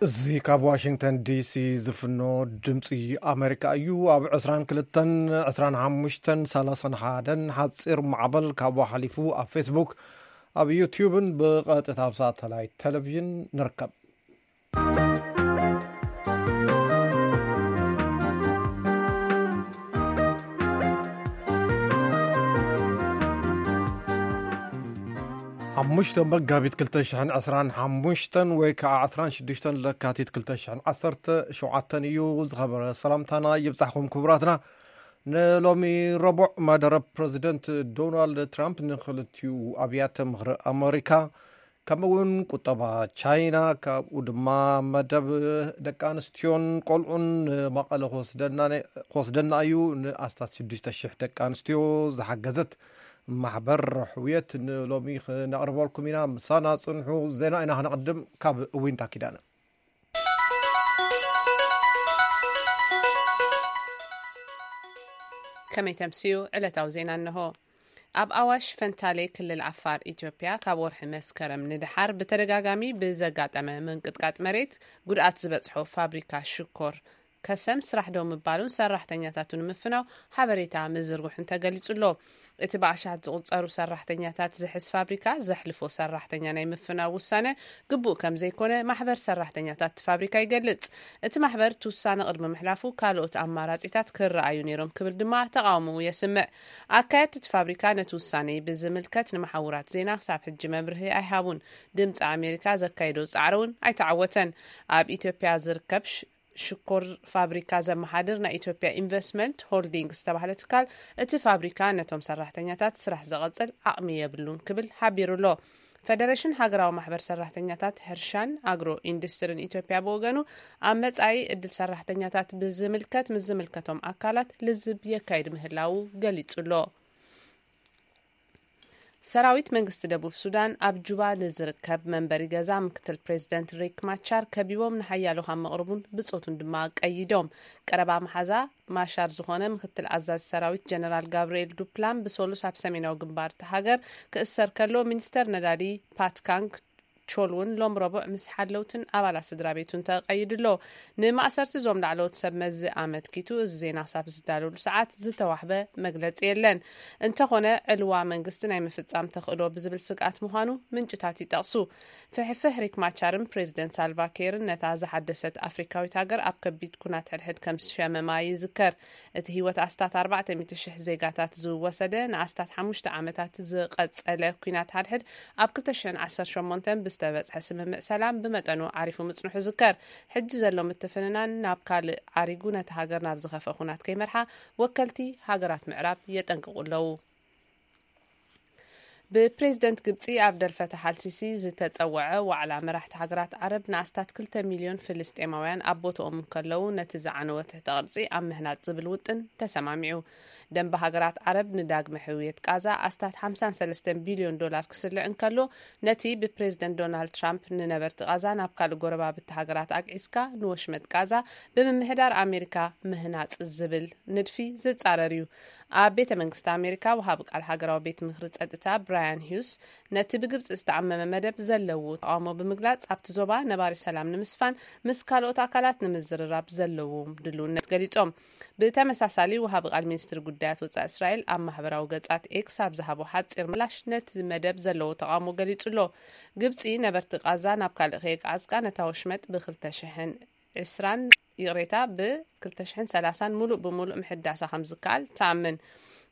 እዚ ካብ ዋሽንግተን ዲሲ ዝፍኖ ድምፂ ኣሜሪካ እዩ። ኣብ ዕስራን ክልተን፣ ዕስራን ሓሙሽተን፣ ሰላሳን ሓደን ሓፂር ማዕበል ካብኡ ሓሊፉ ኣብ ፌስቡክ፣ ኣብ ዩቲዩብን ብቐጥታ ኣብ ሳተላይት ቴሌቪዥን ንርከብ። ሓሙሽተ መጋቢት ክልተ ሽሕን ዕስራን ሓሙሽተን ወይ ከዓ ዕስራን ሽዱሽተን ለካቲት ክልተ ሽሕን ዓሰርተ ሸውዓተን እዩ። ዝኸበረ ሰላምታና ይብጻሕኩም ክቡራትና። ንሎሚ ረቡዕ መደረ ፕረዚደንት ዶናልድ ትራምፕ ንክልቲኡ ኣብያተ ምኽሪ ኣመሪካ፣ ከምኡ እውን ቁጠባ ቻይና፣ ካብኡ ድማ መደብ ደቂ ኣንስትዮን ቆልዑን ንመቐለ ክወስደና፣ ክወስደና እዩ። ንኣስታት ሽዱሽተ ሽሕ ደቂ ኣንስትዮ ዝሓገዘት ማሕበር ሕውየት ንሎሚ ክነቕርበልኩም ኢና። ምሳና ጽንሑ። ዜና ኢና ክነቕድም ካብ ዊንታ ኪዳነ። ከመይ ተምስዩ? ዕለታዊ ዜና እንሆ። ኣብ ኣዋሽ ፈንታሌ፣ ክልል ዓፋር፣ ኢትዮጵያ፣ ካብ ወርሒ መስከረም ንደሓር ብተደጋጋሚ ብዘጋጠመ ምንቅጥቃጥ መሬት ጉድኣት ዝበጽሖ ፋብሪካ ሽኮር ከሰም ስራሕ ደው ምባሉን ሰራሕተኛታቱ ንምፍናው ሓበሬታ ምዝርጉሕን ተገሊጹ ኣሎ። እቲ ብኣሻት ዝቑጸሩ ሰራሕተኛታት ዝሕዝ ፋብሪካ ዘሕልፎ ሰራሕተኛ ናይ ምፍናው ውሳነ ግቡእ ከም ዘይኮነ ማሕበር ሰራሕተኛታት እቲ ፋብሪካ ይገልጽ። እቲ ማሕበር እቲ ውሳነ ቅድሚ ምሕላፉ ካልኦት ኣማራጺታት ክረኣዩ ነይሮም ክብል ድማ ተቓውሞኡ የስምዕ። ኣካየድቲ እቲ ፋብሪካ ነቲ ውሳነ ብዝምልከት ንመሓውራት ዜና ክሳብ ሕጂ መብርሂ ኣይሃቡን። ድምፂ ኣሜሪካ ዘካየዶ ጻዕሪ እውን ኣይተዓወተን። ኣብ ኢትዮጵያ ዝርከብ ሽ-፣ ሽኮር ፋብሪካ ዘመሓድር ናይ ኢትዮጵያ ኢንቨስትመንት ሆልዲንግስ ዝተባህለ ትካል፣ እቲ ፋብሪካ ነቶም ሰራሕተኛታት ስራሕ ዘቐጽል ዓቕሚ የብሉን ክብል ሓቢሩ ኣሎ። ፈደሬሽን ሃገራዊ ማሕበር ሰራሕተኛታት ሕርሻን ኣግሮ ኢንዱስትሪን ኢትዮጵያ ብወገኑ፣ ኣብ መጻኢ ዕድል ሰራሕተኛታት ብዝምልከት ምስ ዝምልከቶም ኣካላት ልዝብ የካይድ ምህላዉ ገሊጹ ኣሎ። ሰራዊት መንግስቲ ደቡብ ሱዳን ኣብ ጁባ ንዝርከብ መንበሪ ገዛ ምክትል ፕሬዚደንት ሪክ ማቻር ከቢቦም ንሓያሎ ካብ መቕርቡን ብጾቱን ድማ ቀይዶም። ቀረባ መሓዛ ማሻር ዝኾነ ምክትል ኣዛዚ ሰራዊት ጀነራል ጋብርኤል ዱፕላም ብሰሉስ ኣብ ሰሜናዊ ግንባር እታ ሃገር ክእሰር ከሎ፣ ሚኒስተር ነዳዲ ፓትካንግ ቾል እውን ሎም ረቡዕ ምስ ሓለውትን ኣባላት ስድራ ቤቱን ተቐይዱ ኣሎ። ንማእሰርቲ እዞም ላዕለዎት ሰብ መዚ ኣመልኪቱ እዚ ዜና ክሳብ ዝዳለሉ ሰዓት ዝተዋህበ መግለጺ የለን። እንተኾነ፣ ዕልዋ መንግስቲ ናይ ምፍጻም ተኽእሎ ብዝብል ስግኣት ምዃኑ ምንጭታት ይጠቕሱ። ፍሕፍሕ ሪክ ማቻርን ፕሬዚደንት ሳልቫ ኬርን ነታ ዝሓደሰት ኣፍሪካዊት ሃገር ኣብ ከቢድ ኩናት ሕድሕድ ከም ዝሸመማ ይዝከር። እቲ ህይወት ኣስታት ኣርባዕተ ሚእቲ ሽሕ ዜጋታት ዝወሰደ ንኣስታት ሓሙሽተ ዓመታት ዝቐጸለ ኲናት ሓድሕድ ኣብ ክልተ ሽሕን ዓሰርተ ሸሞንተን ብዝተበጽሐ ስምምዕ ሰላም ብመጠኑ ዓሪፉ ምጽንሑ ዝከር። ሕጂ ዘሎ ምትፍንናን ናብ ካልእ ዓሪጉ ነቲ ሃገር ናብ ዝኸፍአ ኩናት ከይመርሓ ወከልቲ ሃገራት ምዕራብ የጠንቅቑ ኣለዉ። ብፕሬዝደንት ግብጺ ኣብደል ፈታሕ ኣልሲሲ ዝተጸወዐ ዋዕላ መራሕቲ ሃገራት ዓረብ ንኣስታት ክልተ ሚልዮን ፍልስጤማውያን ኣብ ቦታኦም እንከለዉ ነቲ ዝዓነወ ትሕተ ቅርጺ ኣብ ምህናጽ ዝብል ውጥን ተሰማሚዑ። ደንበ ሃገራት ዓረብ ንዳግመ ሕውየት ቃዛ ኣስታት ሓምሳን ሰለስተን ቢልዮን ዶላር ክስልዕ እንከሎ፣ ነቲ ብፕሬዝደንት ዶናልድ ትራምፕ ንነበርቲ ቃዛ ናብ ካልእ ጎረባብቲ ሃገራት ኣግዒዝካ ንወሽመጥ ቃዛ ብምምሕዳር ኣሜሪካ ምህናጽ ዝብል ንድፊ ዝጻረር እዩ። ኣብ ቤተ መንግስቲ ኣሜሪካ ወሃቢ ቃል ሃገራዊ ቤት ምኽሪ ጸጥታ ብራያን ሂውስ ነቲ ብግብጺ ዝተዓመመ መደብ ዘለዎ ተቓውሞ ብምግላጽ፣ ኣብቲ ዞባ ነባሪ ሰላም ንምስፋን ምስ ካልኦት ኣካላት ንምዝርራብ ዘለዎም ድልውነት ገሊጾም። ብተመሳሳሊ፣ ወሃቢ ቃል ሚኒስትሪ ጉዳያት ወጻኢ እስራኤል ኣብ ማሕበራዊ ገጻት ኤክስ ኣብ ዝሃቦ ሓጺር ምላሽ ነቲ መደብ ዘለዎ ተቓውሞ ገሊጹ ኣሎ። ግብጺ ነበርቲ ቃዛ ናብ ካልእ ከየቃዕጽቃ ነታ ወሽመጥ ብ ክልተ ሽሕን ዕስራን፣ ይቕሬታ፣ ብ ክልተ ሽሕን ሰላሳን ሙሉእ ብሙሉእ ምሕዳሳ ከም ዝከኣል ትኣምን።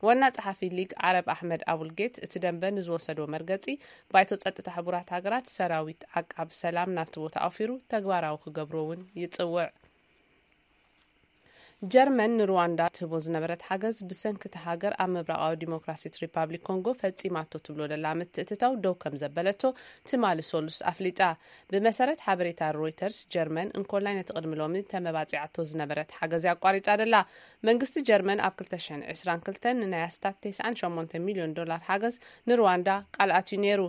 ዋና ጸሓፊ ሊግ ዓረብ ኣሕመድ ኣቡልጌት እቲ ደንበ ንዝወሰዶ መርገጺ፣ ባይቶ ጸጥታ ሕቡራት ሃገራት ሰራዊት ዓቃብ ሰላም ናብቲ ቦታ ኣውፊሩ ተግባራዊ ክገብሮ እውን ይጽውዕ። ጀርመን ንሩዋንዳ ትህቦ ዝነበረት ሓገዝ ብሰንኪ እታ ሃገር ኣብ ምብራቓዊ ዲሞክራሲት ሪፓብሊክ ኮንጎ ፈጺማቶ ትብሎ ዘላ ምትእትታው ደው ከም ዘበለቶ ትማሊ ሰሉስ ኣፍሊጣ። ብመሰረት ሓበሬታ ሮይተርስ፣ ጀርመን እንኮላይ ነቲ ቅድሚ ሎሚ ተመባጺዓቶ ዝነበረት ሓገዝ እያ ኣቋሪጻ ዘላ። መንግስቲ ጀርመን ኣብ ክልተ ሽሕን ዕስራን ክልተን ንናይ ኣስታት ተስዓን ሸሞንተን ሚልዮን ዶላር ሓገዝ ንሩዋንዳ ቃል ኣትዩ ነይሩ።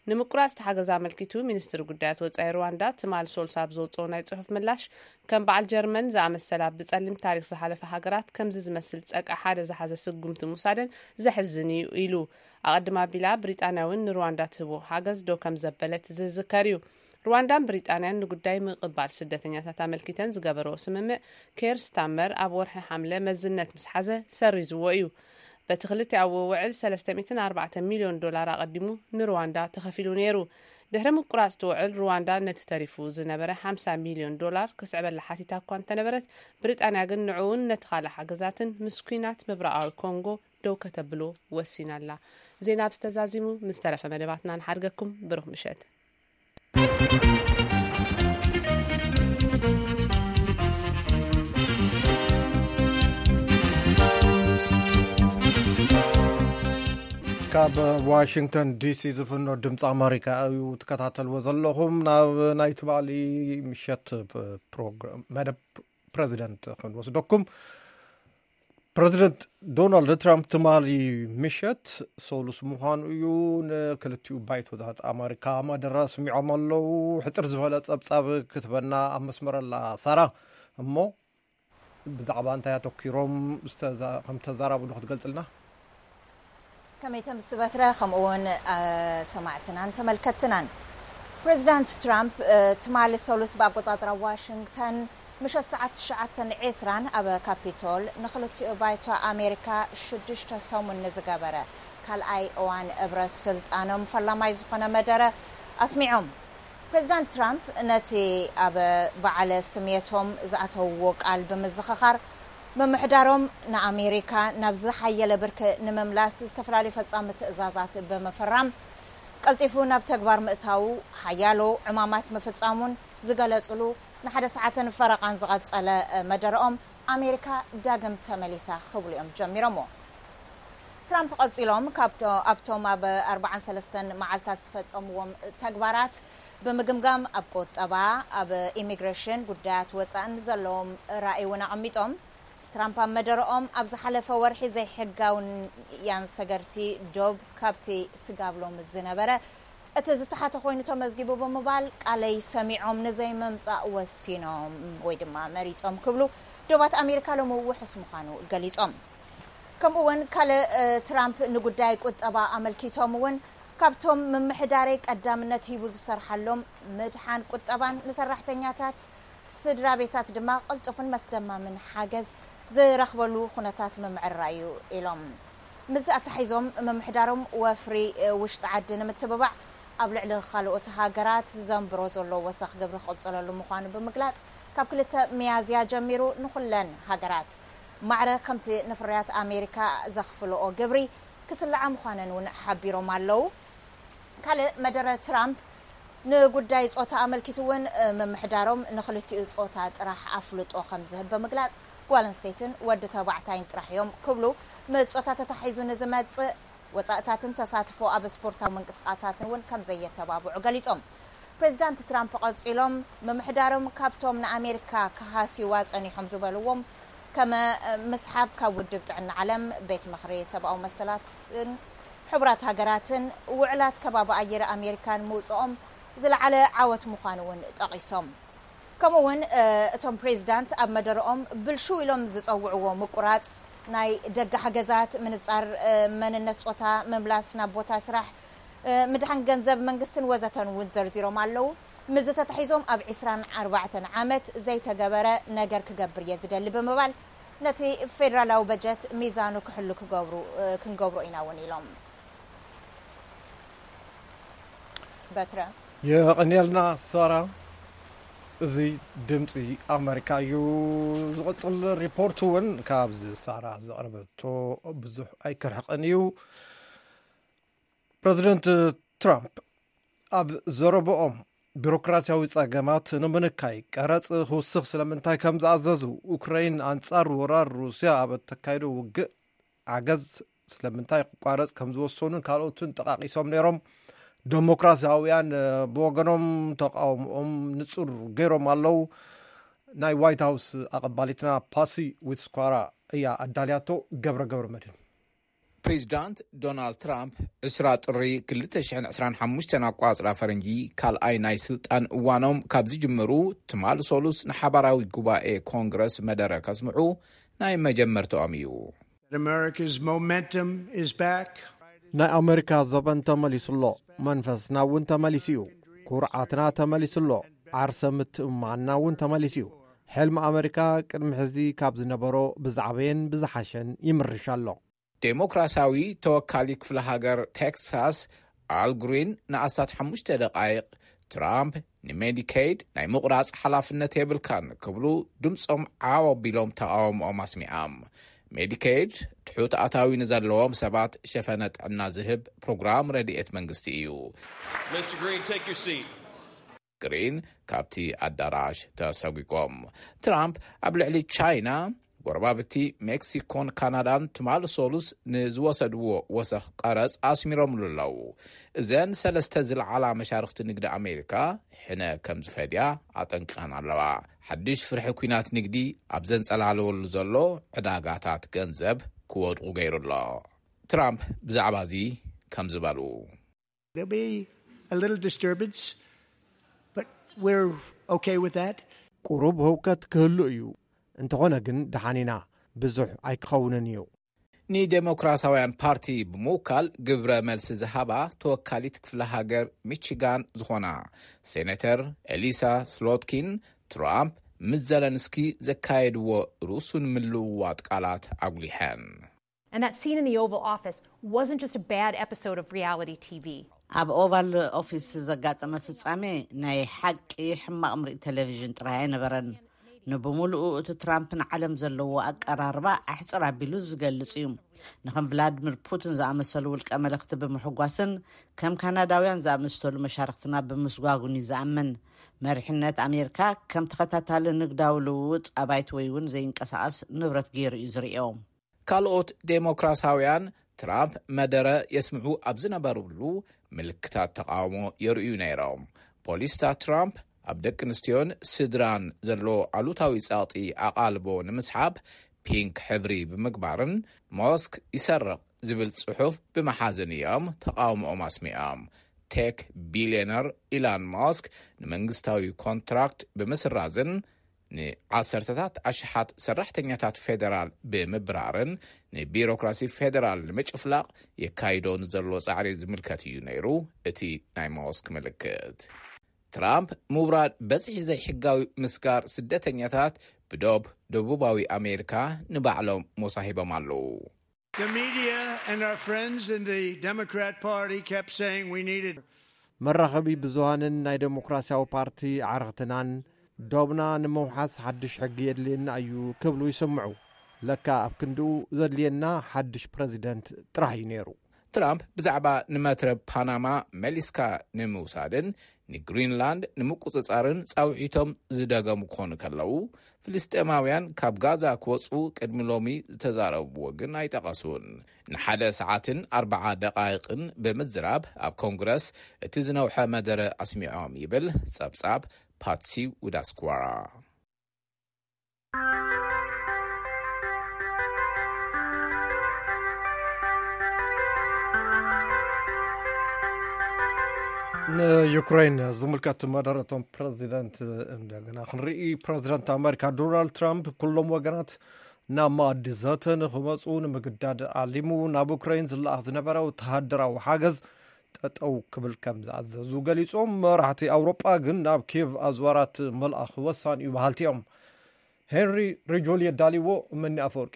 ንምቁራጽ እቲ ሓገዝ ኣመልኪቱ፣ ሚኒስትሪ ጉዳያት ወጻኢ ሩዋንዳ ትማል ሶልሳ ኣብ ዘውጽኦ ናይ ጽሑፍ ምላሽ፣ ከም በዓል ጀርመን ዝኣመሰላ ብጸሊም ታሪኽ ዝሓለፈ ሃገራት ከምዚ ዝመስል ጸቃ ሓደ ዝሓዘ ስጉምቲ ምውሳደን ዘሕዝን እዩ ኢሉ። ኣቐድም ኣቢላ ብሪጣንያ እውን ንሩዋንዳ ትህቦ ሓገዝ ደው ከም ዘበለት ዝዝከር እዩ። ሩዋንዳን ብሪጣንያን ንጉዳይ ምቕባል ስደተኛታት ኣመልኪተን ዝገበርኦ ስምምዕ፣ ኬር ስታመር ኣብ ወርሒ ሓምለ መዝነት ምስ ሓዘ ሰሪዝዎ እዩ። በቲ ክልቲኣዊ ውዕል ሰለስተ ሚእትን ኣርባዕተ ሚልዮን ዶላር ኣቐዲሙ ንሩዋንዳ ተኸፊሉ ነይሩ። ድሕሪ ምቁራጽ እቲ ውዕል፣ ሩዋንዳ ነቲ ተሪፉ ዝነበረ ሓምሳ ሚልዮን ዶላር ክስዕበላ ሓቲታ እኳ እንተነበረት፣ ብሪጣንያ ግን ንዕኡን ነቲ ካልእ ሓገዛትን ምስ ኲናት ምብራቓዊ ኮንጎ ደው ከተብሎ ወሲና ኣላ። ዜና ኣብዚ ተዛዚሙ። ምስ ተረፈ መደባትና ንሓድገኩም። ብሩኽ ምሸት። ካብ ዋሽንግተን ዲሲ ዝፍኖ ድምፂ ኣመሪካ እዩ ትከታተልዎ ዘለኹም። ናብ ናይ ትማሊ ምሸት ፕሮግራም፣ መደብ ፕሬዚደንት ክንወስደኩም። ፕሬዚደንት ዶናልድ ትራምፕ ትማሊ ምሸት፣ ሰሉስ ምዃኑ እዩ፣ ንክልቲኡ ባይቶታት ኣመሪካ መደረ ኣስሚዖም ኣለዉ። ሕፅር ዝበለ ፀብፃብ ክትበና ኣብ መስመር ኣላ ሳራ። እሞ ብዛዕባ እንታይ ኣተኪሮም ዝተዛ-፣ ከም ተዛራቡ ዶ ክትገልፅልና? ከመይ ተምስ በትረ፣ ከምኡ እውን፣ እ፣ ሰማዕትናን ተመልከትትናን። ፕሬዚዳንት ትራምፕ፣ እ፣ ትማሊ ሰሉስ ብኣቆጻጽራ ዋሽንግተን ምሸት ሰዓት ትሽዓተ ዒስራን ኣብ ካፒቶል ንክልቲኡ ባይቶ ኣሜሪካ ሽዱሽተ ሰሙን ንዝገበረ ካልኣይ እዋን እብረ ስልጣኖም ፈላማይ ዝኾነ መደረ ኣስሚዖም። ፕሬዚዳንት ትራምፕ ነቲ ኣብ በዓለ ስሜቶም ዝኣተውዎ ቃል ብምዝኽኻር፣ ምምሕዳሮም ንኣሜሪካ ናብ ዝሓየለ ብርኪ ንምምላስ ዝተፈላለዩ ፈጻሚ ትእዛዛት ብምፍራም፣ ቀልጢፉ ናብ ተግባር ምእታዉ፣ ሓያሎ ዕማማት ምፍጻሙን ዝገለጹሉ ንሓደ ሰዓትን ፈረቓን ዝቐጸለ መደረኦም፣ ኣሜሪካ ዳግም ተመሊሳ ክብሉ እዮም ጀሚሮምዎ። ትራምፕ ቀጺሎም፣ ካብቶ-፣ ኣብቶም ኣብ ኣርባዓን ሰለስተን መዓልታት ዝፈጸምዎም ተግባራት ብምግምጋም፣ ኣብ ቁጠባ፣ ኣብ ኢሚግሬሽን፣ ጉዳያት ወጻእን ዘለዎም ራእይ እውን ኣቐሚጦም። ትራምፕ ኣብ መደረኦም፣ ኣብ ዝሓለፈ ወርሒ ዘይሕጋውያን ሰገርቲ ዶብ ካብቲ ስጋብሎም ዝነበረ እቲ ዝተሓተ ኮይኑ ተመዝጊቡ ብምባል፣ ቃለይ ሰሚዖም ንዘይምምጻእ ወሲኖም ወይ ድማ መሪጾም ክብሉ ዶባት ኣሜሪካ ሎሚ ውሑስ ምዃኑ ገሊጾም። ከምኡ እውን ካልእ፣ እ፣ ትራምፕ ንጉዳይ ቁጠባ ኣመልኪቶም እውን፣ ካብቶም ምምሕዳረይ ቀዳምነት ሂቡ ዝሰርሓሎም ምድሓን ቁጠባን ንሰራሕተኛታት ስድራ ቤታት ድማ ቅልጡፍን መስደማምን ሓገዝ ዝረኽበሉ ኩነታት ምምዕራይ እዩ ኢሎም። ምስ ኣተሓሒዞም፣ ምምሕዳሮም ወፍሪ፣ እ፣ ውሽጢ ዓዲ ንምትብባዕ ኣብ ልዕሊ ካልኦት ሃገራት ዘንብሮ ዘሎ ወሰኽ ግብሪ ክቕጽለሉ ምዃኑ ብምግላጽ፣ ካብ ክልተ ሚያዝያ ጀሚሩ ንኹለን ሃገራት ማዕረ ከምቲ ንፍርያት ኣሜሪካ ዘኽፍልኦ ግብሪ ክስልዓ ምዃነን እውን ሓቢሮም ኣለዉ። ካልእ መደረ ትራምፕ ንጉዳይ ጾታ ኣመልኪቱ እውን፣ እ፣ ምምሕዳሮም ንኽልቲኡ ጾታ ጥራሕ ኣፍልጦ ከም ዝህብ ብምግላጽ፣ ጓል ኣንስተይትን ወዲ ተባዕታይን ጥራሕ እዮም ክብሉ፣ ምስ ጾታ ተታሒዙ ንዝመጽእ ወጻእታትን ተሳትፎ ኣብ ስፖርታዊ ምንቅስቃሳትን እውን ከም ዘየተባብዑ ገሊጾም። ፕሬዚዳንት ትራምፕ ቀጺሎም፣ ምምሕዳሮም ካብቶም ንኣሜሪካ ክሃስይዋ ጸኒሖም ዝበልዎም፣ ከም ምስሓብ ካብ ውድብ ጥዕና ዓለም፣ ቤት ምኽሪ ሰብኣዊ መሰላትን ሕቡራት ሃገራትን፣ ውዕላት ከባቢ ኣየር ኣሜሪካን ምውጽኦም ዝለዓለ ዓወት ምዃኑ እውን ጠቒሶም። ከምኡ እውን፣ እ፣ እቶም ፕሬዚዳንት ኣብ መደረኦም ብልሽው ኢሎም ዝጸውዕዎ ምቁራጽ ናይ ደገ ሓገዛት፣ ምንጻር፣ እ፣ መንነት ጾታ፣ ምምላስ ናብ ቦታ ስራሕ፣ እ፣ ምድሓን ገንዘብ መንግስትን ወዘተን እውን ዘርዚሮም ኣለዉ። ምስዚ ተታሒዞም ኣብ ዒስራን ኣርባዕተን ዓመት ዘይተገበረ ነገር ክገብር እየ ዝደሊ ብምባል፣ ነቲ ፌደራላዊ በጀት ሚዛኑ ክሕሉ ክገብሩ፣ እ፣ ክንገብሮ ኢና እውን ኢሎም። በትረ። የቐንየልና ሳራ። እዚ ድምፂ ኣመሪካ እዩ። ዝቕፅል ሪፖርት እውን ካብዚ ሳራ ዘቕረበቶ ብዙሕ ኣይክርሕቕን እዩ። ፕረዚደንት ትራምፕ ኣብ ዘረብኦም፣ ቢሮክራሲያዊ ጸገማት ንምንካይ ቀረጽ ክውስኽ ስለምንታይ ከም ዝኣዘዙ፣ ዩክረይን ኣንጻር ወራር ሩስያ ኣብ እተካይዶ ውግእ ሓገዝ ስለምንታይ ክቋረጽ ከም ዝወሰኑን ካልኦትን ጠቓቒሶም ነይሮም። ደሞክራሲያውያን፣ እ፣ ብወገኖም ተቃውሞኦም ንጹር ገይሮም ኣለዉ። ናይ ዋይት ሃውስ ኣቐባሊትና ፓሲ ዊትስኳራ እያ ኣዳልያቶ። ገብረ ገብረ መድህን። ፕሬዚዳንት ዶናልድ ትራምፕ ዕስራ ጥሪ ክልተ ሽሕን ዕስራን ሓሙሽተን ኣቋጽራ ፈረንጂ ካልኣይ ናይ ስልጣን እዋኖም ካብ ዝጅምሩ፣ ትማል ሶሉስ ንሓባራዊ ጉባኤ ኮንግረስ መደረ ከስምዑ ናይ መጀመርታኦም እዩ። America's momentum is back. ናይ ኣመሪካ ዘበን ተመሊሱ ኣሎ። መንፈስና እውን ተመሊሱ እዩ። ኩርዓትና ተመሊሱ ኣሎ። ዓርሰ ምትእምማንና እውን ተመሊሱ እዩ። ሕልሚ ኣመሪካ ቅድሚ ሕዚ ካብ ዝነበሮ ብዛዕበየን ብዝሓሸን ይምርሽ ኣሎ። ዴሞክራሲያዊ ተወካሊ ክፍለ ሃገር ቴክሳስ ኣል ግሪን ንኣስታት ሓሙሽተ ደቃይቕ ትራምፕ ንሜዲኬይድ ናይ ምቑራጽ ሓላፍነት የብልካን ክብሉ ድምጾም ዓው ኣቢሎም ተቓውሞኦም ኣስሚዖም። ሜዲኬይድ ትሑት ኣታዊ ንዘለዎም ሰባት ሸፈነ ጥዕና ዝህብ ፕሮግራም ረድኤት መንግስቲ እዩ። Mister Green, take your seat. ግሪን ካብቲ ኣዳራሽ ተሰጒጎም። ትራምፕ ኣብ ልዕሊ ቻይና፣ ጎረባብቲ ሜክሲኮን ካናዳን ትማሊ ሰሉስ ንዝወሰድዎ ወሰኽ ቀረጽ ኣስሚሮምሉ ኣለዉ። እዘን ሰለስተ ዝለዓላ መሻርኽቲ ንግዲ ኣሜሪካ ሕነ ከም ዝፈድያ ኣጠንቂቐን ኣለዋ። ሓድሽ ፍርሒ ኲናት ንግዲ ኣብ ዘንጸላለወሉ ዘሎ ዕዳጋታት ገንዘብ ክወድቑ ገይሩ ኣሎ። ትራምፕ ብዛዕባ እዚ ከም ዝበሉ There'll be a little disturbance, but we're okay with that. ቁሩብ ህውከት ክህሉ እዩ፣ እንተኾነ ግን ደሓን ኢና። ብዙሕ ኣይክኸውንን እዩ። ንዴሞክራሲያውያን ፓርቲ ብምውካል ግብረ መልሲ ዝሃባ ተወካሊት ክፍለ ሃገር ሚቺጋን ዝኾና ሴኔተር ኤሊሳ ስሎትኪን፣ ትራምፕ ምስ ዘለንስኪ ዘካየድዎ ርሱን ምልውዋጥ ቃላት ኣጉሊሐን። And that scene in the Oval Office wasn't just a bad episode of reality T V. ኣብ ኦቫል ኦፊስ ዘጋጠመ ፍጻሜ ናይ ሓቂ ሕማቕ ምርኢት ቴሌቪዥን ጥራይ ኣይነበረን። ንብምሉኡ እቲ ትራምፕ ንዓለም ዘለዎ ኣቀራርባ ኣሕጽር ኣቢሉ ዝገልጽ እዩ። ንከም ቭላድሚር ፑቲን ዝኣመሰሉ ውልቀ መለኽቲ ብምሕጓስን ከም ካናዳውያን ዝኣመሰሉ መሻርክትና ብምስጓጉን እዩ ዝኣምን። መሪሕነት ኣሜሪካ ከም ተኸታታሊ ንግዳዊ ልውውጥ ኣባይቲ ወይ እውን ዘይንቀሳቐስ ንብረት ገይሩ እዩ ዝርእዮ። ካልኦት ዴሞክራሲያውያን ትራምፕ መደረ የስምዑ ኣብ ዝነበሩሉ ምልክታት ተቓውሞ የርእዩ ነይሮም። ፖሊስታት ትራምፕ ኣብ ደቂ ኣንስትዮን ስድራን ዘሎ ኣሉታዊ ጸቕጢ ኣቓልቦ ንምስሓብ ፒንክ ሕብሪ ብምግባርን ሞስክ ይሰርቕ ዝብል ጽሑፍ ብምሓዝን እዮም ተቓውሞኦም ኣስሚዖም። ቴክ ቢልዮነር ኢላን ሞስክ ንመንግስታዊ ኮንትራክት ብምስራዝን ንዓሰርተታት ኣሽሓት ሰራሕተኛታት ፌደራል ብምብራርን ንቢሮክራሲ ፌደራል ንምጭፍላቕ የካይዶ ንዘሎ ጻዕሪ ዝምልከት እዩ ነይሩ እቲ ናይ ሞስክ ምልክት። ትራምፕ ምውራድ በዝሒ ዘይሕጋዊ ምስጋር ስደተኛታት ብዶብ ደቡባዊ ኣሜሪካ ንባዕሎም ሞሳ ሂቦም ኣለዉ። The media and our friends in the Democrat Party kept saying we needed መራኸቢ ብዙሃንን ናይ ዴሞክራሲያዊ ፓርቲ ኣዕርኽትናን ዶብና ንምውሓስ ሓድሽ ሕጊ የድልየና እዩ ክብሉ ይስምዑ። ለካ ኣብ ክንድኡ ዘድልየና ሓድሽ ፕረዚደንት ጥራሕ እዩ ነይሩ። ትራምፕ ብዛዕባ ንመትረብ ፓናማ መሊስካ ንምውሳድን ንግሪንላንድ ንምቁጽጻርን ጻውዒቶም ዝደገሙ ክኾኑ ከለዉ፣ ፍልስጤማውያን ካብ ጋዛ ክወጹ ቅድሚ ሎሚ ዝተዛረብዎ ግን ኣይጠቐሱን። ንሓደ ሰዓትን ኣርብዓ ደቓይቕን ብምዝራብ ኣብ ኮንግረስ እቲ ዝነውሐ መደረ ኣስሚዖም ይብል ጸብጻብ ፓትሲ ውዳስኳራ። ንዩክሬን ዝምልከት መደረቶም ፕረዚደንት እንደገና ክንርኢ። ፕረዚደንት ኣሜሪካ ዶናልድ ትራምፕ ኩሎም ወገናት ናብ መኣዲ ዘተ ንኽመፁ ንምግዳድ ዓሊሙ ናብ ዩክሬን ዝለኣኽ ዝነበረ ወተሃደራዊ ሓገዝ ጠጠው ክብል ከም ዝኣዘዙ ገሊፆም። መራሕቲ ኣውሮጳ ግን ናብ ኪየቭ ኣዝዋራት ምልኣኽ ወሳኒ እዩ በሃልቲ እዮም። ሄንሪ ሪጆል የዳልዎ። መኒ ኣፈወርቂ።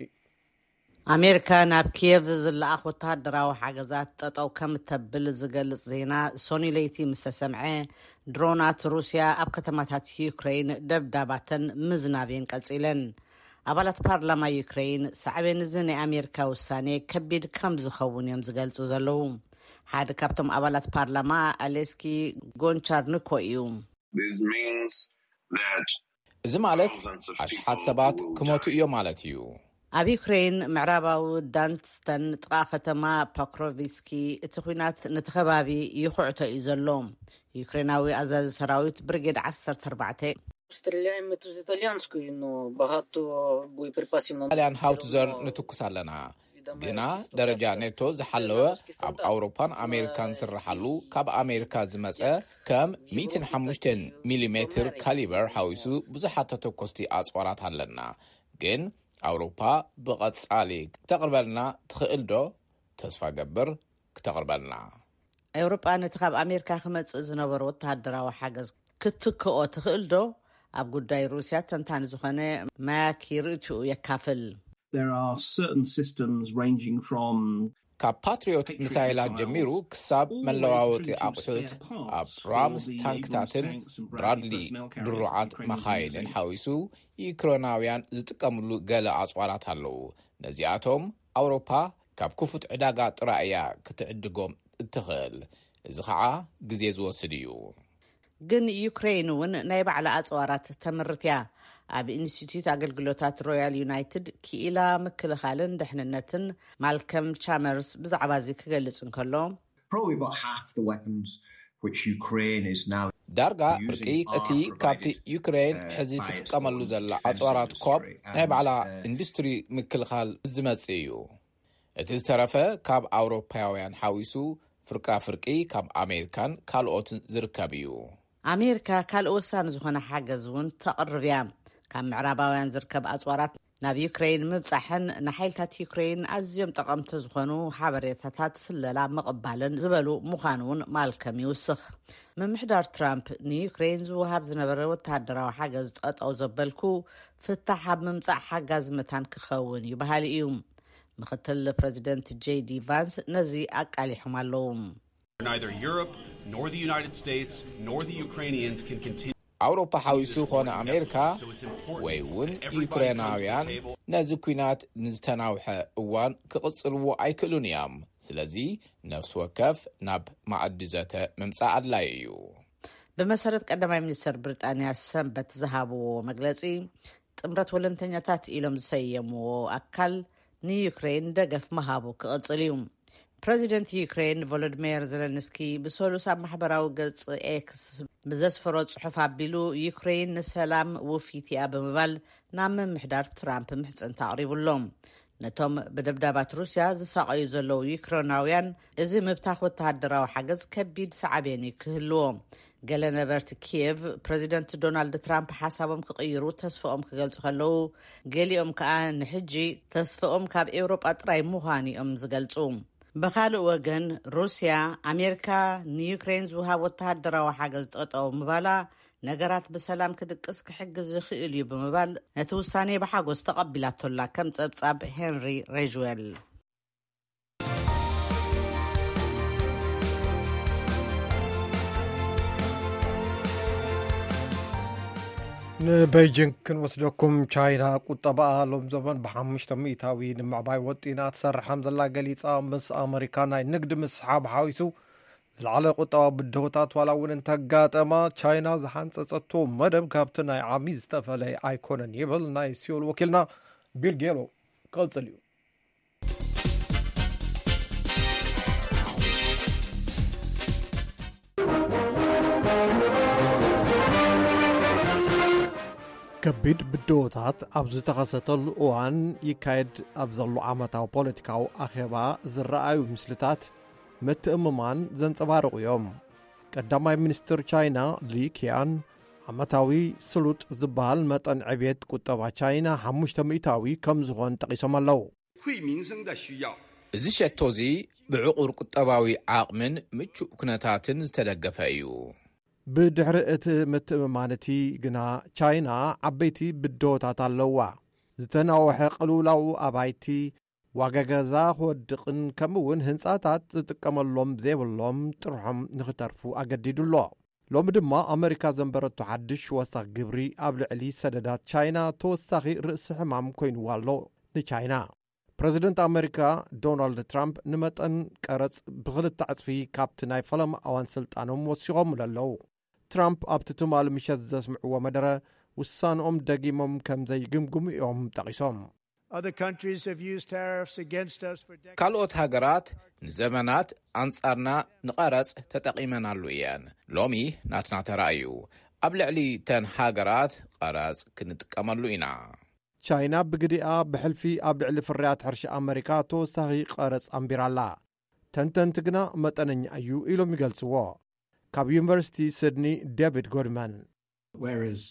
ኣሜሪካ ናብ ኪየቭ ዝለኣኽ ወተሃደራዊ ሓገዛት ጠጠው ከም እተብል ዝገልጽ ዜና ሶኒ ለይቲ ምስ ተሰምዐ፣ ድሮናት ሩስያ ኣብ ከተማታት ዩክሬን ደብዳባተን ምዝናብየን ቀጺለን። ኣባላት ፓርላማ ዩክሬን ሳዕቤን እዚ ናይ ኣሜሪካ ውሳኔ ከቢድ ከም ዝኸውን እዮም ዝገልጹ ዘለዉ። ሓደ ካብቶም ኣባላት ፓርላማ ኣሌስኪ ጎንቻርንኮ እዩ። እዚ ማለት ኣሽሓት ሰባት ክሞቱ እዮም ማለት እዩ። ኣብ ዩክሬን ምዕራባዊ ዳንስተን ጥቓ ከተማ ፖክሮቪስኪ እቲ ኲናት ነቲ ከባቢ ይኹዕቶ እዩ ዘሎ። ዩክሬናዊ ኣዛዚ ሰራዊት ብርጌድ ዓሰርተ ኣርባዕተ Стріляємо з італіянської, ну багато боєприпасів нам ጣልያን ሃውትዘር ንትኩስ ኣለና፣ ግና ደረጃ ኔቶ ዝሓለወ ኣብ ኣውሮፓን ኣሜሪካን ዝስርሓሉ ካብ ኣሜሪካ ዝመጸ ከም ሚእትን ሓሙሽተን ሚሊሜትር ካሊበር ሓዊሱ ብዙሓት ተተኮስቲ ኣጽዋራት ኣለና። ግን ኣውሮፓ ብቐጻሊ ክተቕርበልና ትኽእል ዶ? ተስፋ ገብር ክተቕርበልና። ኤውሮጳ ነቲ ካብ ኣሜሪካ ክመጽእ ዝነበረ ወተሃደራዊ ሓገዝ ክትክኦ ትኽእል ዶ? ኣብ ጉዳይ ሩስያ ተንታኒ ዝኾነ ማያኪ ርእትኡ የካፍል። There are certain systems ranging from ካብ ፓትሪዮት ሚሳይላት ጀሚሩ ክሳብ መለዋወጢ ኣቑሑት ኣብ ራምስ ታንክታትን ብራድሊ ድሩዓት መኻይንን ሓዊሱ ዩክሬናውያን ዝጥቀምሉ ገለ ኣጽዋራት ኣለዉ። ነዚኣቶም ኣውሮፓ ካብ ክፉት ዕዳጋ ጥራይ እያ ክትዕድጎም እትኽእል። እዚ ኸዓ ግዜ ዝወስድ እዩ። ግን ዩክሬን እውን ናይ ባዕላ ኣጽዋራት ተምርት እያ። ኣብ ኢንስቲትዩት ኣገልግሎታት ሮያል ዩናይትድ ክኢላ ምክልኻልን ድሕንነትን ማልከም ቻመርስ ብዛዕባ እዚ ክገልጽ እንከሎ probably about half the weapons which Ukraine is now ዳርጋ ብርቂ እቲ ካብቲ ዩክሬን ሕዚ ትጥቀመሉ ዘላ ኣጽዋራት ኮብ ናይ ባዕላ ኢንዱስትሪ ምክልኻል ዝመጽእ እዩ። እቲ ዝተረፈ ካብ ኣውሮፓውያን ሓዊሱ ፍርቃ ፍርቂ ካብ ኣሜሪካን ካልኦትን ዝርከብ እዩ። ኣሜሪካ ካልእ ወሳኒ ዝኾነ ሓገዝ እውን ተቕርብ እያ። ካብ ምዕራባውያን ዝርከብ ኣጽዋራት ናብ ዩክሬን ምብጻሕን ንሓይልታት ዩክሬን ኣዝዮም ጠቐምቲ ዝኾኑ ሓበሬታታት ስለላ ምቕባልን ዝበሉ ምዃኑ እውን ማልከም ይውስኽ። ምምሕዳር ትራምፕ ንዩክሬን ዝወሃብ ዝነበረ ወተሃደራዊ ሓገዝ ጠጠው ዘበልኩ ፍታሕ ኣብ ምምጻእ ሓጋዚ መታን ክኸውን እዩ በሃሊ እዩ። ምክትል ፕረዚደንት ጄዲ ቫንስ ነዚ ኣቃሊሖም ኣለዉ። Neither Europe nor the United States nor the Ukrainians can continue. ኣውሮፓ ሓዊሱ ኾነ ኣሜሪካ ወይ እውን ዩክሬናውያን ነዚ ኲናት ንዝተናውሐ እዋን ክቕጽልዎ ኣይክእሉን እዮም። ስለዚ ነፍሲ ወከፍ ናብ ማዕዲ ዘተ ምምጻእ ኣድላይ እዩ። ብመሰረት ቀዳማይ ሚኒስተር ብሪጣንያ ሰንበት ዝሃብዎ መግለጺ፣ ጥምረት ወለንተኛታት ኢሎም ዝሰየምዎ ኣካል ንዩክሬን ደገፍ ምሃቡ ክቕጽል እዩ። ፕረዚደንት ዩክሬን ቮሎዲሚር ዘለንስኪ ብሰሉስ ኣብ ማሕበራዊ ገጽ ኤክስ ብዘስፈሮ ጽሑፍ ኣቢሉ፣ ዩክሬን ንሰላም ውፊት እያ ብምባል ናብ ምምሕዳር ትራምፕ ምሕጽንታ ኣቕሪቡሎም። ነቶም ብደብዳባት ሩስያ ዝሳቐዩ ዘለዉ ዩክሬናውያን እዚ ምብታኽ ወተሃደራዊ ሓገዝ ከቢድ ሳዕቤን እዩ ክህልዎ። ገለ ነበርቲ ኪየቭ ፕረዚደንት ዶናልድ ትራምፕ ሓሳቦም ክቕይሩ ተስፋኦም ክገልጹ ከለዉ፣ ገሊኦም ከኣ ንሕጂ ተስፋኦም ካብ ኤውሮጳ ጥራይ ምዃኑ እዮም ዝገልጹ። ብኻልእ ወገን ሩስያ፣ ኣሜሪካ ንዩክሬን ዝውሃብ ወተሃደራዊ ሓገዝ ጠጠው ምባላ ነገራት ብሰላም ክድቅስ ክሕግዝ ይኽእል እዩ ብምባል ነቲ ውሳኔ ብሓጎስ ተቐቢላቶላ ከም ጸብጻብ ሄንሪ ሬጅዌል። ንቤጂንግ ክንወስደኩም። ቻይና ቁጠባኣ ሎም ዘበን ብሓሙሽተ ሚእታዊ ንምዕባይ ወጢና ትሰርሕ ከም ዘላ ገሊጻ። ምስ ኣመሪካ ናይ ንግዲ ምስሓብ ሓዊሱ ዝለዓለ ቁጠባ ብድሆታት ዋላ እውን እንተጋጠማ፣ ቻይና ዝሓንጸጸቶ መደብ ካብቲ ናይ ዓሚ ዝተፈለየ ኣይኮነን ይብል ናይ ሲዮል ወኪልና ቢል ጌሎ። ክቕጽል እዩ። ከቢድ ብድሆታት ኣብ ዝተኸሰተሉ እዋን ይካየድ ኣብ ዘሎ ዓመታዊ ፖለቲካዊ ኣኼባ ዝረኣዩ ምስልታት ምትእምማን ዘንጸባርቑ እዮም። ቀዳማይ ሚኒስትር ቻይና ሊ ኪያን ዓመታዊ ስሉጥ ዝበሃል መጠን ዕብየት ቁጠባ ቻይና ሓሙሽተ ሚእታዊ ከም ዝኾን ጠቒሶም ኣለዉ። 惠民生的需要。 እዚ ሸቶ እዚ ብዕቑር ቁጠባዊ ዓቕምን ምቹእ ኩነታትን ዝተደገፈ እዩ። ብድሕሪ እቲ ምትእምማን እቲ ግና ቻይና ዓበይቲ ብድሆታት ኣለዋ። ዝተናወሐ ቅልውላው ኣባይቲ፣ ዋጋ ገዛ ክወድቕን ከምኡ እውን ህንጻታት ዝጥቀመሎም ዘይብሎም ጥርሖም ንኽተርፉ ኣገዲዱ ኣሎ። ሎሚ ድማ ኣመሪካ ዘንበረቶ ሓድሽ ወሳኽ ግብሪ ኣብ ልዕሊ ሰደዳት ቻይና ተወሳኺ ርእሲ ሕማም ኮይንዋ ኣሎ ንቻይና። ፕረዚደንት ኣመሪካ ዶናልድ ትራምፕ ንመጠን ቀረጽ ብኽልተ ዕጽፊ ካብቲ ናይ ፈለማ እዋን ስልጣኖም ወሲኾምሉ ኣለዉ። ትራምፕ ኣብቲ ትማሊ ምሸት ዘስምዕዎ መደረ ውሳንኦም ደጊሞም ከም ዘይግምግሙ እዮም ጠቒሶም። Other countries have used tariffs against us for decades. ካልኦት ሃገራት ንዘመናት ኣንጻርና ንቐረጽ ተጠቒመናሉ እየን። ሎሚ ናትና ተራ እዩ። ኣብ ልዕሊ ተን ሃገራት ቀረጽ ክንጥቀመሉ ኢና። ቻይና ብግዲኣ ብሕልፊ ኣብ ልዕሊ ፍርያት ሕርሻ ኣመሪካ ተወሳኺ ቀረጽ ኣንቢራላ። ተንተንቲ ግና መጠነኛ እዩ ኢሎም ይገልጽዎ። ካብ ዩኒቨርሲቲ ሲድኒ ዴቪድ ጎድማን። Whereas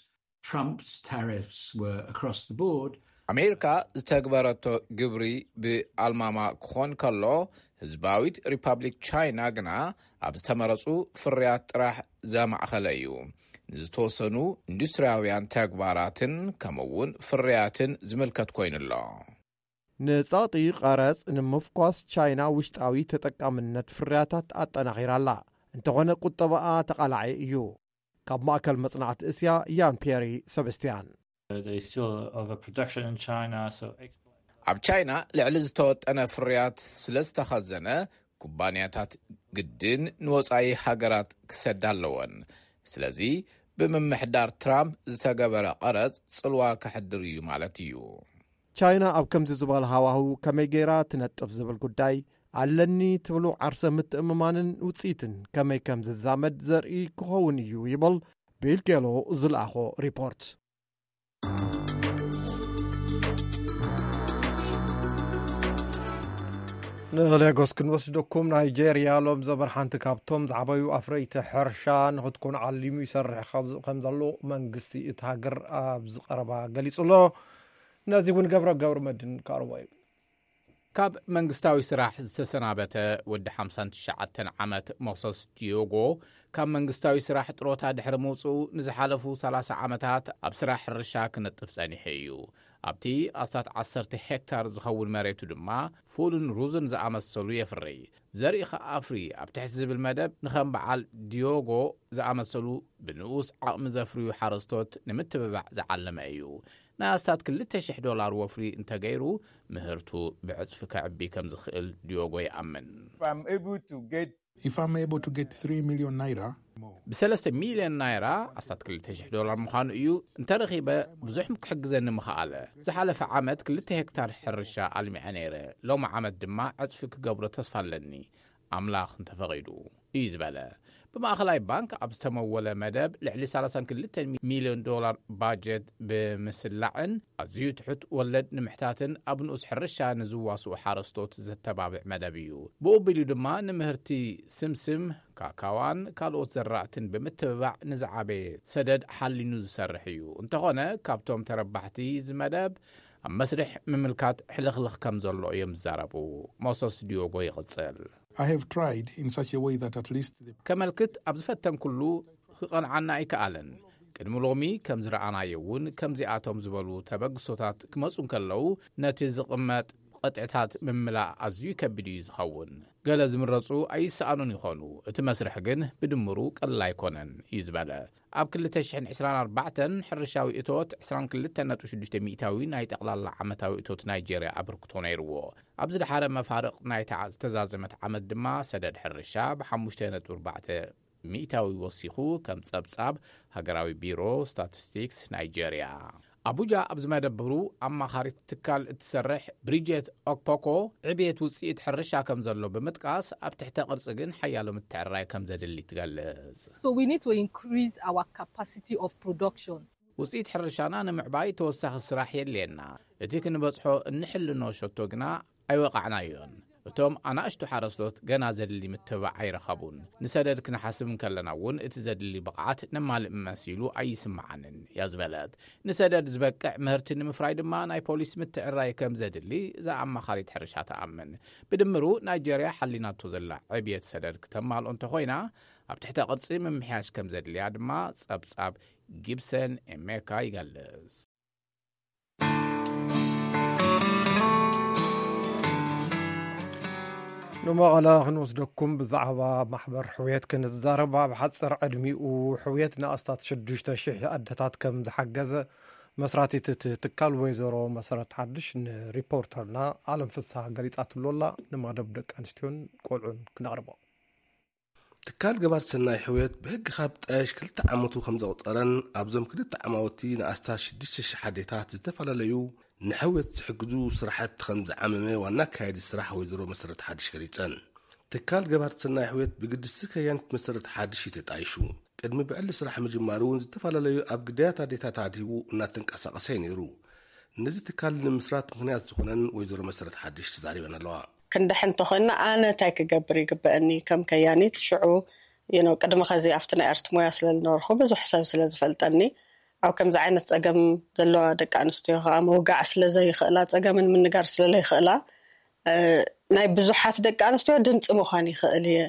Trump's tariffs were across the board. ኣሜሪካ ዝተግበረቶ ግብሪ ብኣልማማ ክኾን ከሎ፣ ህዝባዊት ሪፓብሊክ ቻይና ግና ኣብ ዝተመረጹ ፍርያት ጥራሕ ዘማእኸለ እዩ። ንዝተወሰኑ ኢንዱስትሪያውያን ተግባራትን ከምኡ እውን ፍርያትን ዝምልከት ኮይኑ ኣሎ። ንጸቕጢ ቀረጽ ንምፍኳስ ቻይና ውሽጣዊ ተጠቃምነት ፍርያታት ኣጠናኺራ ኣላ። እንተኾነ ቁጠባኣ ተቓላዒ እዩ። ካብ ማእከል መጽናዕቲ እስያ ያን ፒየሪ ሰበስቲያን። There's still overproduction in China, so ኣብ ቻይና ልዕሊ ዝተወጠነ ፍርያት ስለ ዝተኸዘነ ኩባንያታት ግድን ንወጻኢ ሃገራት ክሰዳ ኣለወን። ስለዚ ብምምሕዳር ትራምፕ ዝተገበረ ቀረጽ ጽልዋ ከሕድር እዩ ማለት እዩ። ቻይና ኣብ ከምዚ ዝበለ ሃዋህው ከመይ ገይራ ትነጥፍ ዝብል ጉዳይ ኣለኒ ትብሉ ዓርሰ ምትእምማንን ውፅኢትን ከመይ ከም ዝዛመድ ዘርኢ ክኸውን እዩ ይብል ቢል ጌሎ ዝለኣኾ ሪፖርት። ንሌጎስ ክንወስደኩም። ናይጄርያ ሎም ዘበር ሓንቲ ካብቶም ዝዓበዩ ኣፍረይቲ ሕርሻ ንክትኮን ዓሊሙ ይሰርሕ ከም ዘሎ መንግስቲ እቲ ሃገር ኣብ ዝቀረባ ገሊጹ ኣሎ። ነዚ እውን ገብረ ገብረ መድን ካርሞ እዩ። ካብ መንግስታዊ ስራሕ ዝተሰናበተ ወዲ ሓምሳን ትሽዓተን ዓመት ሞሰስ ዲዮጎ፣ ካብ መንግስታዊ ስራሕ ጥሮታ ድሕሪ ምውፅኡ ንዝሓለፉ ሰላሳ ዓመታት ኣብ ስራሕ ሕርሻ ክነጥፍ ጸኒሑ እዩ። ኣብቲ ኣስታት ዓሰርተ ሄክታር ዝኸውን መሬቱ ድማ ፉልን ሩዝን ዝኣመሰሉ የፍሪ። ዘርኢ ከኣፍሪ ኣብ ትሕቲ ዝብል መደብ ንኸም በዓል ዲዮጎ ዝኣመሰሉ ብንኡስ ዓቕሚ ዘፍርዩ ሓረስቶት ንምትብባዕ ዝዓለመ እዩ። ናይ ኣስታት ክልተ ሽሕ ዶላር ወፍሪ እንተገይሩ፣ ምህርቱ ብዕጽፊ ከዕቢ ከም ዝኽእል ዲዮጎ ይኣምን። If I'm able to get three million naira, ብሰለስተ ሚልዮን ናይራ ኣስታት ክልተ ሽሕ ዶላር ምዃኑ እዩ። እንተረኺበ ብዙሕ ክሕግዘኒ ምኽኣለ። ዝሓለፈ ዓመት ክልተ ሄክታር ሕርሻ ኣልሚዐ ነይረ። ሎሚ ዓመት ድማ ዕጽፊ ክገብሮ ተስፋ ኣለኒ፣ ኣምላኽ እንተፈቒዱ፣ እዩ ዝበለ። ብማእኸላይ ባንክ ኣብ ዝተመወለ መደብ ልዕሊ ሰላሳን ክልተን ሚልዮን ዶላር ባጀት ብምስላዕን ኣዝዩ ትሑት ወለድ ንምሕታትን ኣብ ንኡስ ሕርሻ ንዝዋስኡ ሓረስቶት ዘተባብዕ መደብ እዩ። ብኡ ኣቢሉ ድማ ንምህርቲ ስምስም፣ ካካዋን ካልኦት ዘራእትን ብምትብባዕ ንዝዓበየ ሰደድ ሓሊኑ ዝሰርሕ እዩ። እንተኾነ ካብቶም ተረባሕቲ እዚ መደብ ኣብ መስርሕ ምምልካት ሕልኽልኽ ከም ዘሎ እዮም ዝዛረቡ። ሞሰስ ዲዮጎ ይቕጽል። I have tried in such a way that at least the ከመልክት ኣብ ዝፈተንኩሉ ክቐንዓና ኣይከኣለን። ቅድሚ ሎሚ ከም ዝረኣናዮ እውን ከምዚኣቶም ዝበሉ ተበግሶታት ክመጹ እንከለዉ ነቲ ዝቕመጥ ቐጥዕታት ምምላእ ኣዝዩ ከቢድ እዩ ዝኸውን። ገለ ዝምረጹ ኣይሰኣኑን ይኾኑ። እቲ መስርሕ ግን ብድምሩ ቀለል ኣይኮነን እዩ ዝበለ። ኣብ ክልተ ሽሕን ዕስራን ኣርባዕተን ሕርሻዊ እቶት ዕስራን ክልተን ነጥቢ ሽዱሽተ ሚእታዊ ናይ ጠቕላላ ዓመታዊ እቶት ናይጄርያ ኣበርክቶ ነይርዎ። ኣብ ዝደሓረ መፋርቕ ናይታ ዝተዛዘመት ዓመት ድማ ሰደድ ሕርሻ ብሓሙሽተ ነጥቢ ኣርባዕተ ሚእታዊ ወሲኹ፣ ከም ጸብጻብ ሃገራዊ ቢሮ ስታቲስቲክስ ናይጄርያ። ኣቡጃ ኣብ ዝመደብሩ ኣማኻሪት ትካል እትሰርሕ ብሪጀት ኦክፖኮ፣ ዕብየት ውጽኢት ሕርሻ ከም ዘሎ ብምጥቃስ፣ ኣብ ትሕተ ቅርጺ ግን ሓያሎ ምትዕራይ ከም ዘድሊ ትገልጽ። So we need to increase our capacity of production. ውጽኢት ሕርሻና ንምዕባይ ተወሳኺ ስራሕ የድልየና። እቲ ክንበጽሖ እንሕልኖ ሸቶ ግና ኣይወቓዕናዮን። እቶም ኣናእሽቱ ሓረስቶት ገና ዘድሊ ምትብባዕ ኣይረኸቡን። ንሰደድ ክንሓስብ እንከለና እውን እቲ ዘድሊ ብቕዓት ነማልእ መሲሉ ኣይስምዓንን እያ ዝበለት። ንሰደድ ዝበቅዕ ምህርቲ ንምፍራይ ድማ ናይ ፖሊስ ምትዕራይ ከም ዘድሊ እዛ ኣማኻሪት ሕርሻ ትኣምን። ብድምሩ ናይጄርያ ሓሊናቶ ዘላ ዕብየት ሰደድ ክተማልኦ እንተኾይና ኣብ ትሕተ ቅርጺ ምምሕያሽ ከም ዘድልያ ድማ ጸብጻብ ጊብሰን ኤሜካ ይገልጽ። ንመቐለ ክንወስደኩም። ብዛዕባ ማሕበር ሕውየት ክንዛረብ፣ ኣብ ሓፂር ዕድሚኡ ሕውየት ንኣስታት ሽዱሽተ ሽሕ ኣደታት ከም ዝሓገዘ መስራቲት እቲ ትካል ወይዘሮ መሰረት ሓድሽ ንሪፖርተርና ኣለም ፍስሃ ገሊፃትሉ ኣላ። ንመደብ ደቂ ኣንስትዮን ቆልዑን ክነቕርቦ። ትካል ገባር ሰናይ ሕውየት ብሕጊ ካብ ጣየሽ ክልተ ዓመቱ ከም ዘቑፀረን ኣብዞም ክልተ ዓማውቲ ንኣስታት ሽዱሽተ ሽሕ ኣዴታት ዝተፈላለዩ ንሕውየት ዝሕግዙ ስራሕቲ ከም ዝዓመመ ዋና ኣካያዲ ስራሕ ወይዘሮ መሰረት ሓድሽ ገሊፀን። ትካል ገባር ሰናይ ሕውየት ብግድስቲ ከያኒት መሰረት ሓድሽ እዩ ተጣይሹ። ቅድሚ ብዕሊ ስራሕ ምጅማሩ እውን ዝተፈላለዩ ኣብ ግዳያት ኣዴታት ኣድሂቡ እናተንቀሳቐሰ እዩ ነይሩ። ነዚ ትካል ንምስራት ምኽንያት ዝኾነን ወይዘሮ መሰረት ሓድሽ ተዛሪበን ኣለዋ። ክንድሕን እንተኾይንና ኣነ እንታይ ክገብር ይግበአኒ ከም ከያኒት? ሽዑ you know ቅድሚ ኸዚ ኣብቲ ናይ ኣርት ሞያ ስለ ዝነበርኩ ብዙሕ ሰብ ስለ ዝፈልጠኒ፣ ኣብ ከምዚ ዓይነት ፀገም ዘለዋ ደቂ ኣንስትዮ ከዓ ምውጋዕ ስለ ዘይኽእላ፣ ፀገመን ምንጋር ስለ ዘይኽእላ፣ እ፣ ናይ ብዙሓት ደቂ ኣንስትዮ ድምፂ ምዃን ይኽእል እየ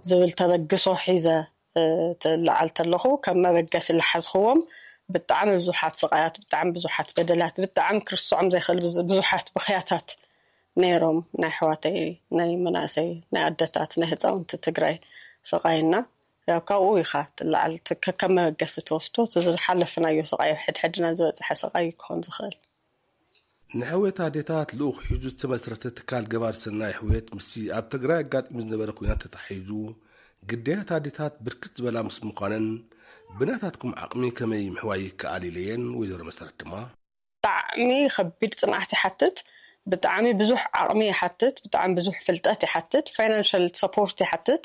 ዝብል ተበግሶ ሒዘ ትለዓል ተለኹ፣ ከም መበገሲ ዝሓዝኽዎም ብጣዕሚ ብዙሓት ስቓያት፣ ብጣዕሚ ብዙሓት በደላት፣ ብጣዕሚ ክርስዖም ዘይኽእል ብዙሓት ብኽያታት ነይሮም። ናይ ኣሕዋተይ፣ ናይ መናእሰይ፣ ናይ ኣደታት፣ ናይ ህፃውንቲ ትግራይ ስቓይና ያው ካብኡ ኢኻ ትለዓል፣ ከከም መበገሲ ትወስዶ። እቲ ዝሓለፍናዮ ስቓይ፣ ሕድሕድና ዝበፅሐ ስቓይ ክኾን ዝኽእል። ንሕውየት ኣዴታት ልኡኽ ሒዙ ዝተመስረተ ትካል ገባር ሰናይ ሕውየት ምስቲ ኣብ ትግራይ ኣጋጢሙ ዝነበረ ኩናት ተታሒዙ ግዳያት ኣዴታት ብርክት ዝበላ ምስ ምዃነን ብናታትኩም ዓቕሚ ከመይ ምሕዋይ ይከኣል ኢለየን። ወይዘሮ መሰረት ድማ ብጣዕሚ ከቢድ ፅንዓት ይሓትት፣ ብጣዕሚ ብዙሕ ዓቕሚ ይሓትት፣ ብጣዕሚ ብዙሕ ፍልጠት ይሓትት፣ ፋይናንሻል ሰፖርት ይሓትት፣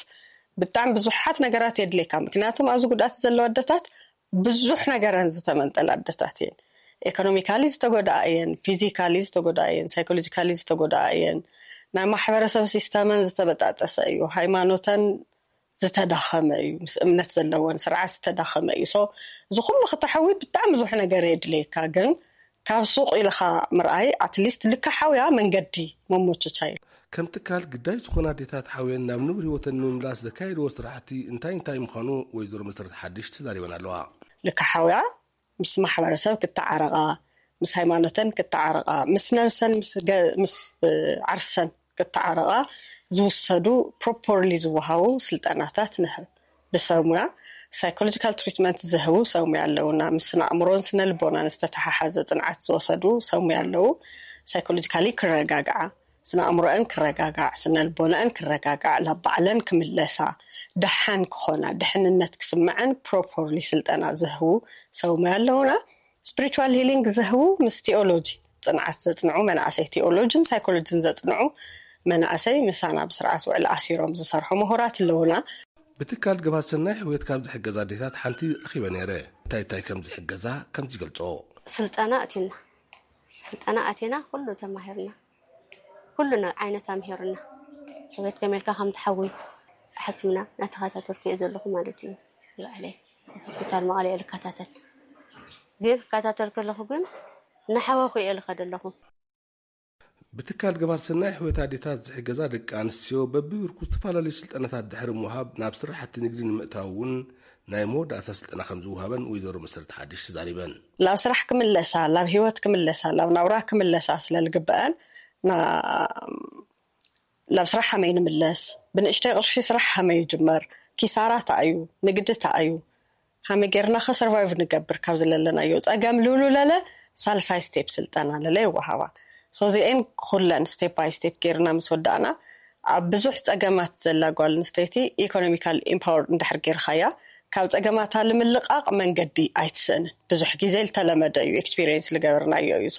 ብጣዕሚ ብዙሓት ነገራት የድልየካ። ምክንያቱም ኣብዚ ጉድኣት ዘለዎ ኣደታት ብዙሕ ነገረን ዝተመንጠላ ኣደታት እየን። ኤኮኖሚካሊ ዝተጎድኣ እየን፣ ፊዚካሊ ዝተጎድኣ እየን፣ ሳይኮሎጂካሊ ዝተጎድኣ እየን። ናይ ማሕበረሰብ ሲስተመን ዝተበጣጠሰ እዩ። ሃይማኖተን ዝተዳኸመ እዩ። ምስ እምነት ዘለወን ስርዓት ዝተዳኸመ እዩ። So እዚ ኩሉ ክተሐዊ ብጣዕሚ ብዙሕ ነገር የድልየካ፣ ግን ካብ ሱቕ ኢልኻ ምርኣይ ኣትሊስት ልካ ሓውያ መንገዲ መሞችቻ እዩ። ከም ትካል ግዳይ ዝኾና ኣዴታት ሓውየን ናብ ንቡር ህይወተን ንምምላስ ዘካየድዎ ስራሕቲ እንታይ እንታይ ምዃኑ ወይዘሮ መሰረት ሓድሽ ተዛሪበን ኣለዋ። ልካ ሓውያ ምስ ማሕበረሰብ ክተዓረቓ፣ ምስ ሃይማኖተን ክተዓረቓ፣ ምስ ነብሰን ምስ ገ- ምስ እ፣ ዓርሰን ክተዓረቓ ዝውሰዱ ፕሮፖርሊ ዝወሃቡ ስልጠናታት ንህብ። ብሰብ ሙያ ሳይኮሎጂካል ትሪትመንት ዝህቡ ሰብ ሙያ ኣለውና። ምስ ስነ ኣእምሮን ስነ ልቦናን ዝተተሓሓዘ ፅንዓት ዝወሰዱ ሰብ ሙያ ኣለዉ። ሳይኮሎጂካሊ ክረጋግዓ፣ ስነ ኣእምሮአን ክረጋጋዕ፣ ስነ ልቦናአን ክረጋጋዕ፣ ናብ ባዕለን ክምለሳ፣ ደሓን ክኾና፣ ድሕንነት ክስምዐን ፕሮፖርሊ ስልጠና ዝህቡ ሰብ ሙያ ኣለውና። ስፒሪቹዋል ሂሊንግ ዝህቡ ምስ ቲኦሎጂ ፅንዓት ዘፅንዑ መናእሰይ፣ ቲኦሎጂን ሳይኮሎጂን ዘፅንዑ መናእሰይ ምሳና ብስርዓት ውዕል ኣሲሮም ዝሰርሑ ምሁራት ኣለውና። ብትካል ገባር ሰናይ ሕውየት ካብ ዝሕገዛ ኣዴታት ሓንቲ ረኺበ ነይረ። እንታይ እንታይ ከም ዝሕገዛ ከምዚ ይገልጾ። ስልጠና ኣቲና ስልጠና ኣቲና ኩሉ ተማሂርና፣ ኩሉ ዓይነት ኣምሂርና። ሕውየት ከመይ ኢልካ ከም ትሓዊ ሕክምና እናተኸታተልኩ እየ ዘለኹ ማለት እዩ። ባዕለይ ሆስፒታል መቐለ እየ ልከታተል፣ ግን ክከታተል ከለኹ ግን እናሓወኹ እየ ልኸደ ኣለኹ። ብትካል ገባር ሰናይ ሕውየት ኣዴታት ዝሕገዛ ደቂ ኣንስትዮ በብብርኩ ዝተፈላለዩ ስልጠናታት ድሕሪ ምውሃብ ናብ ስራሕቲ ንግዲ ንምእታው እውን ናይ መወዳእታ ስልጠና ከም ዝውሃበን ወይዘሮ መሰረት ሓድሽ ተዛሪበን። ላብ ስራሕ ክምለሳ፣ ላብ ህይወት ክምለሳ፣ ላብ ናውራ ክምለሳ ስለ ዝግበአን ና- ላብ ስራሕ ከመይ ንምለስ፣ ብንእሽተይ ቅርሺ ስራሕ ከመይ ይጅመር፣ ኪሳራ እንታይ እዩ፣ ንግዲ እንታይ እዩ፣ ከመይ ጌርና ከ ሰርቫይቭ ንገብር ካብ ዝለለናዮ ፀገም ልውሉ ለለ ሳልሳይ ስቴፕ ስልጠና ለለ ይወሃባ። ሶ እዚኤን ኩለን ስቴፕ ባይ ስቴፕ ጌርና ምስ ወዳእና ኣብ ብዙሕ ፀገማት ዘላ ጓል ኣንስተይቲ ኢኮኖሚካል ኢምፓወር እንድሕር ጌርካያ ካብ ፀገማታ ልምልቃቕ መንገዲ ኣይትስእንን። ብዙሕ ግዜ ዝተለመደ እዩ ኤክስፒሪየንስ ልገበርናዮ እዩ።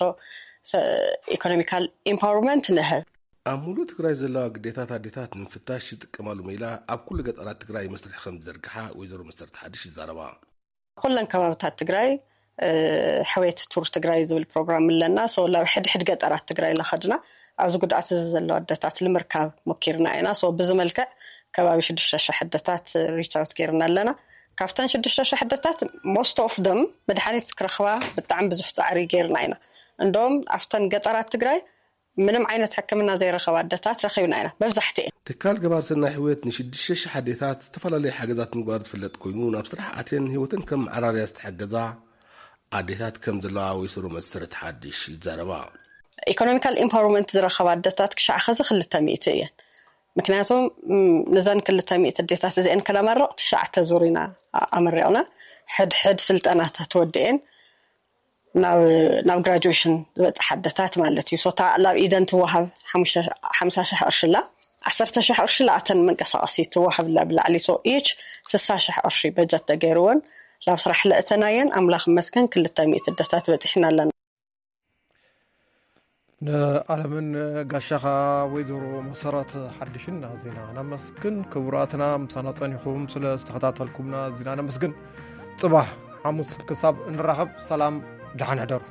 ኢኮኖሚካል ኢምፓወርመንት ንህብ። ኣብ ሙሉእ ትግራይ ዘለዋ ግዴታት ኣዴታት ንምፍታሽ ዝጥቀማሉ ሜላ ኣብ ኩሉ ገጠራት ትግራይ መስርሒ ከም ዝዘርግሓ ወይዘሮ መሰረት ሓድሽ ይዛረባ። ኩለን ከባብታት ትግራይ ሕውየት ቱር ትግራይ ዝብል ፕሮግራም ኣለና። ሶ ላብ ሕድሕድ ገጠራት ትግራይ ለኸድና ኣብዚ ጉድኣት እዚ ዘለዋ ኣደታት ልምርካብ ሞኪርና ኢና። ሶ ብዚ መልክዕ ከባቢ ሽዱሽተ ሸሕ ኣደታት ሪች ኣውት ጌርና ኣለና። ካብተን ሽዱሽተ ሸሕ ኣደታት ሞስት ኦፍ ደም መድሓኒት ክረኽባ ብጣዕሚ ብዙሕ ፃዕሪ ጌርና ኢና። እንደውም ኣብተን ገጠራት ትግራይ ምንም ዓይነት ሕክምና ዘይረኸባ ኣደታት ረኺብና ኢና መብዛሕትኤን። ትካል ገባር ሰናይ ሕውየት ንሽዱሽተ ሽሕ ኣዴታት ዝተፈላለዩ ሓገዛት ምግባሩ ዝፍለጥ ኮይኑ ናብ ስራሕ ኣትየን ህይወተን ከም መዓራርያ ዝተሓገዛ ኣዴታት ከም ዘለዋ ወይሰሮ መሰረት ሓድሽ ይዛረባ። ኢኮኖሚካል ኢምፓወርመንት ዝረኸባ ኣደታት ክሻዕ ኸዚ ክልተ ሚእቲ እየን። ምክንያቱም ነዘን ክልተ ሚእቲ ኣዴታት እዚአን ከነመርቕ ትሽዓተ ዙር ኢና ኣመሪቕና። ሕድሕድ ስልጠናታት ወዲኤን ናብ ናብ ግራጁዌሽን ዝበፅሓ ኣደታት ማለት እዩ። ሶታ ላብ ኢደን ትወሃብ ሓምሳ ሽሕ ቅርሺ ኣላ። ዓሰርተ ሽሕ ቅርሺ ለኣተን መንቀሳቐሲ ትወሃብ ላ ብላዕሊ። ሶ ኢች ስሳ ሽሕ ቅርሺ በጀት ተገይርወን ላብ ስራሕ ለእተናየን ኣምላኽ መስገን ክልተ ሚእቲ ኣደታት በፂሕና ኣለና። ንዓለምን ጋሻኻ ወይዘሮ መሰረት ሓድሽን ኣዚና ነመስግን። ክቡራትና ምሳና ጸኒኹም ስለ ዝተኸታተልኩምና ኣዚና ነመስግን። ጽባሕ ሓሙስ ክሳብ እንራኸብ ሰላም ደሓን ሕደሩ።